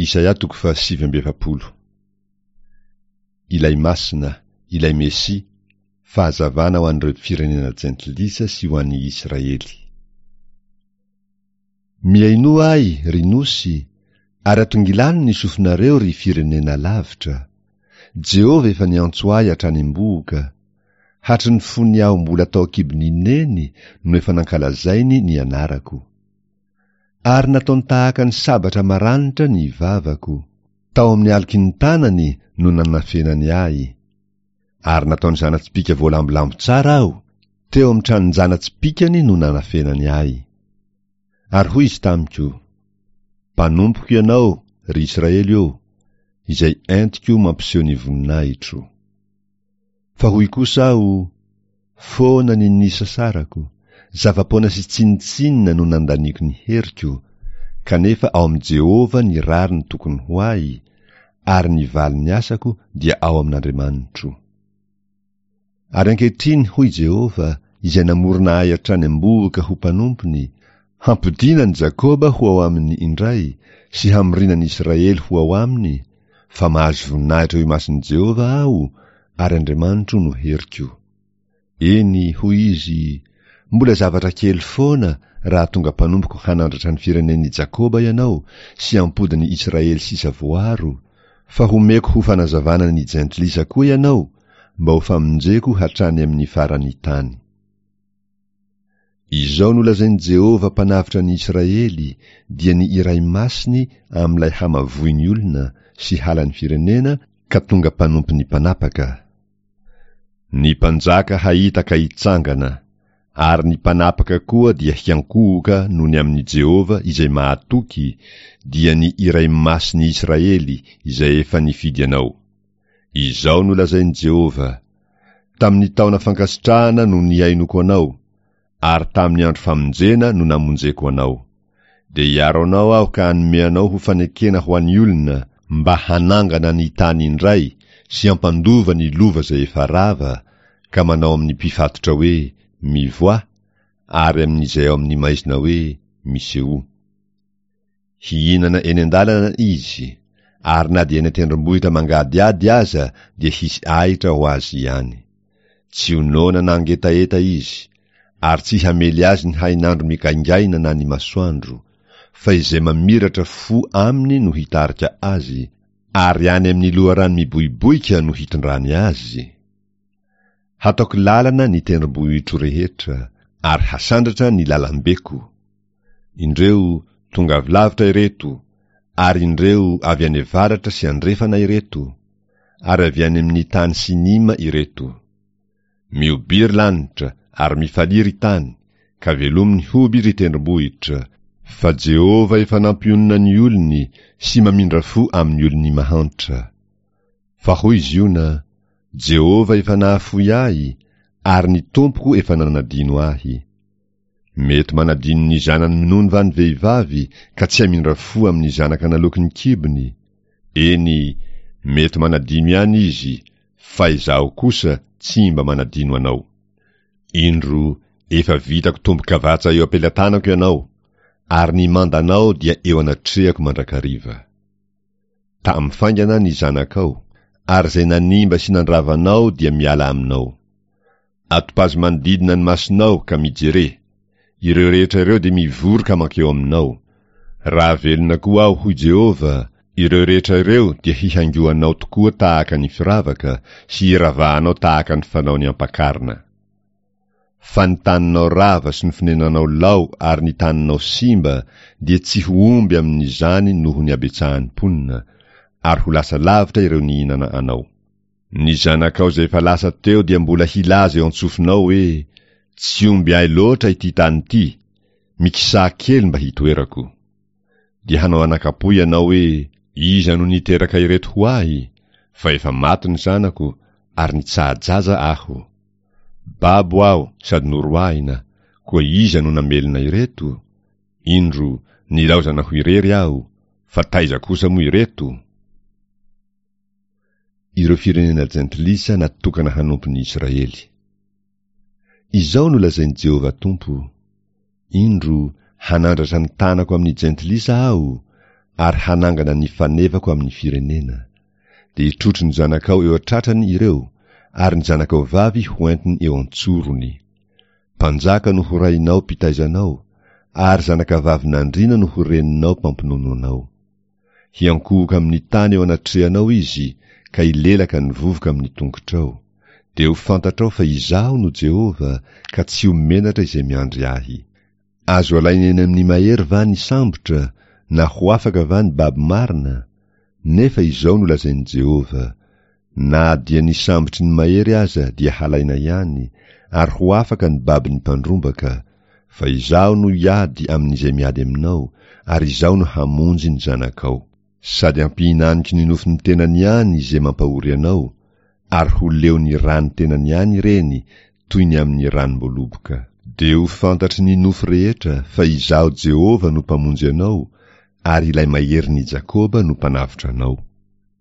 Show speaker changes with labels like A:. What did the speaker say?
A: Isaia toko faha 49. Ilay Masina, ilay Mesia, fahazavana ho an'ireo firenena jentilisa sy ho an'ny Israely. Mihainoa ahy, ry nosy, ary atongilano ny sofinareo, ry firenena lavitra. Jehovah efa niantso ahy hatrany am-bohoka. Hatry ny fony aho mbola tao an-kibon'i Neny no efa nankalazainy ny anarako. Ary nataony tahaka ny sabatra maranitra ny vavako. Tao amin'ny aloky ny tanany no nanafenany ahy. Ary nataony zana-tsipìka voalambolambo tsara aho, teo amin'ny tranon-jana-tsipìkany no nanafenany ahy. Ary hoy izy tamiko, Mpanompoko ianao, ry Israely ô, izay entiko mampiseho ny voninahitro. Fa hoy kosa aho, Foana ny nisasarako, zava-poana sy tsinontsinona no nandaniako ny heriko, kanefa ao amin'i Jehovah ny rariny tokony ho ahy, ary ny valin'ny asako dia ao amin'Andriamanitro. Ary ankehitriny, hoy Jehovah, izay namorona ahy hatrany am-bohoka ho mpanompony, hampodiana an'i Jakoba ho ao aminy indray, sy hamoriana an'i Israely ho ao aminy, fa mahazo voninahitra eo imason'i Jehovah aho, ary Andriamanitro no heriko. Eny, hoy izy, mbola zavatra kely foana raha tonga mpanompoko hanandratra ny firenen'i Jakoba ianao sy hampody ny Israely sisa voaro, fa homeko ho fanazavana ny jentilisa koa ianao, mba ho famonjeko hatrany amin'ny faran'ny tany. Izao no lazain'i Jehovah Mpanavotra ny Israely, dia ny Iray Masiny amin'ilay hamavoin'ny olona sy halan'ny firenena ka tonga mpanompon'ny mpanapaka, Ny mpanjaka hahita ka hitsangana, ary ny mpanapaka koa dia hiankohoka noho ny amin'i Jehovah izay mahatoky, dia ny Iray Masin'ny Israely izay efa nifidy anao. Izao no lazain'i Jehovah, Tamin'ny taona fankasitrahana no nihainoako anao, ary tamin'ny andro famonjena no namonjeko anao. Dia hiaro anao aho ka hanome anao ho fanekena ho an'ny olona, mba hanangana ny tany indray sy hampandova ny lova izay efa rava, ka manao amin'ny mpifatotra hoe, Mivoaha, ary amin'izay ao amin'ny maizina hoe, Misehoa. Hihinana eny an-dalana izy, ary na dia eny an-tendrombohitra mangadihady aza dia hisy ahitra ho azy ihany. Tsy ho noana na hangetaheta izy, ary tsy hamely azy ny hainandro migaingaina na ny masoandro, fa izay mamiratra fo aminy no hitarika azy, ary any amin'ny loharano miboiboika no hitondrany azy. Hataoko lalana ny tendrombohitro rehetra, ary hasandratra ny lalambeko. Indreo, tonga avy lavitra ireto, ary indreo, avy any avaratra sy andrefana ireto, ary avy any amin'ny tany Sinima ireto. Mihobia ry lanitra, ary mifalia ry tany, ka velomy ny hoby ry tendrombohitra, fa Jehovah efa nampionona ny olony sy mamindra fo amin'ny olony mahantra. Fa hoy Ziona, Jehovah efa nahafoy ahy, ary ny Tompoko efa nanadino ahy. Mety manadino ny zanany minono va ny vehivavy ka tsy hamindra fo amin'ny zanaka naloaky ny kibony? Eny, mety manadino ihany izy, fa izaho kosa tsy mba manadino anao. Indro, efa vitako tombo-kavatsa eo am-pelatanako ianao, ary ny mandanao dia eo anatrehako mandrakariva. Tamy faingana ny zanakao, ary izay nanimba sy nandrava anao dia miala aminao. Atopazo manodidina ny masonao ka mijere. Ireo rehetra ireo dia mivory ka mankeo aminao. Raha velona koa aho, hoy Jehovah, ireo rehetra ireo dia hihaingoanao tokoa tahaka ny firavaka sy hiravahanao tahaka ny fanaon'ny ampakarina. Fa ny taninao rava sy ny fonenanao lao ary ny taninao simba dia tsy ho omby amin'izany noho ny habetsahan'ny mponina, ary ho lasa lavitra ireo nihinana anao. Ny zanakao izay efa lasa teo dia mbola hilaza eo an-tsofinao hoe, Tsy omby ahy loatra ity tany ity, mikisaha kely mba hitoerako. Dia hanao anakam-po ianao hoe, Iza no niteraka ireto ho ahy? Fa efa maty ny zanako, ary nitsaha-jaza aho. Babo aho sady noroahina, koa iza no namelona ireto? Indro, nilaozana ho irery aho, fa taiza kosa moa ireto? Ireo firenena jentilisa natokana hanompo ny Israely. Izao no lazain'i Jehovah Tompo, Indro, hanandratra ny tanako amin'ny jentilisa Aho, ary hanangana ny fanevako amin'ny firenena. Dia hitrotro ny zanakao eo an-tratrany ireo, ary ny zanakao vavy hoentiny eo an-tsorony. Mpanjaka no ho rainao mpitaiza anao, ary zanakavavin'andriana no ho reninao mpampinono anao. Hiankohoka amin'ny tany eo anatrehanao izy, ka hilelaka ny vovoka amin'ny tongotrao. Dia ho fantatrao fa Izaho no Jehovah, ka tsy ho menatra izay miandry Ahy. Azo alaina eny amin'ny mahery va ny sambotra, na ho afaka va ny babo marina? Nefa izao no lazain'i Jehovah, Na dia ny sambotry ny mahery aza dia halaina ihany, ary ho afaka ny babon'ny mpandrombaka, fa Izaho no hiady amin'izay miady aminao, ary Izaho no hamonjy ny zanakao. Sady hampihinaniko ny nofon'ny tenany ihany izay mampahory anao, ary ho leon'ny ràn'ny tenany ihany ireny, toy ny amin'ny ranom-boaloboka. Dia ho fantatry ny nofo rehetra fa Izaho Jehovah no Mpamonjy anao, ary Ilay Maherin'i Jakoba no Mpanavotra anao.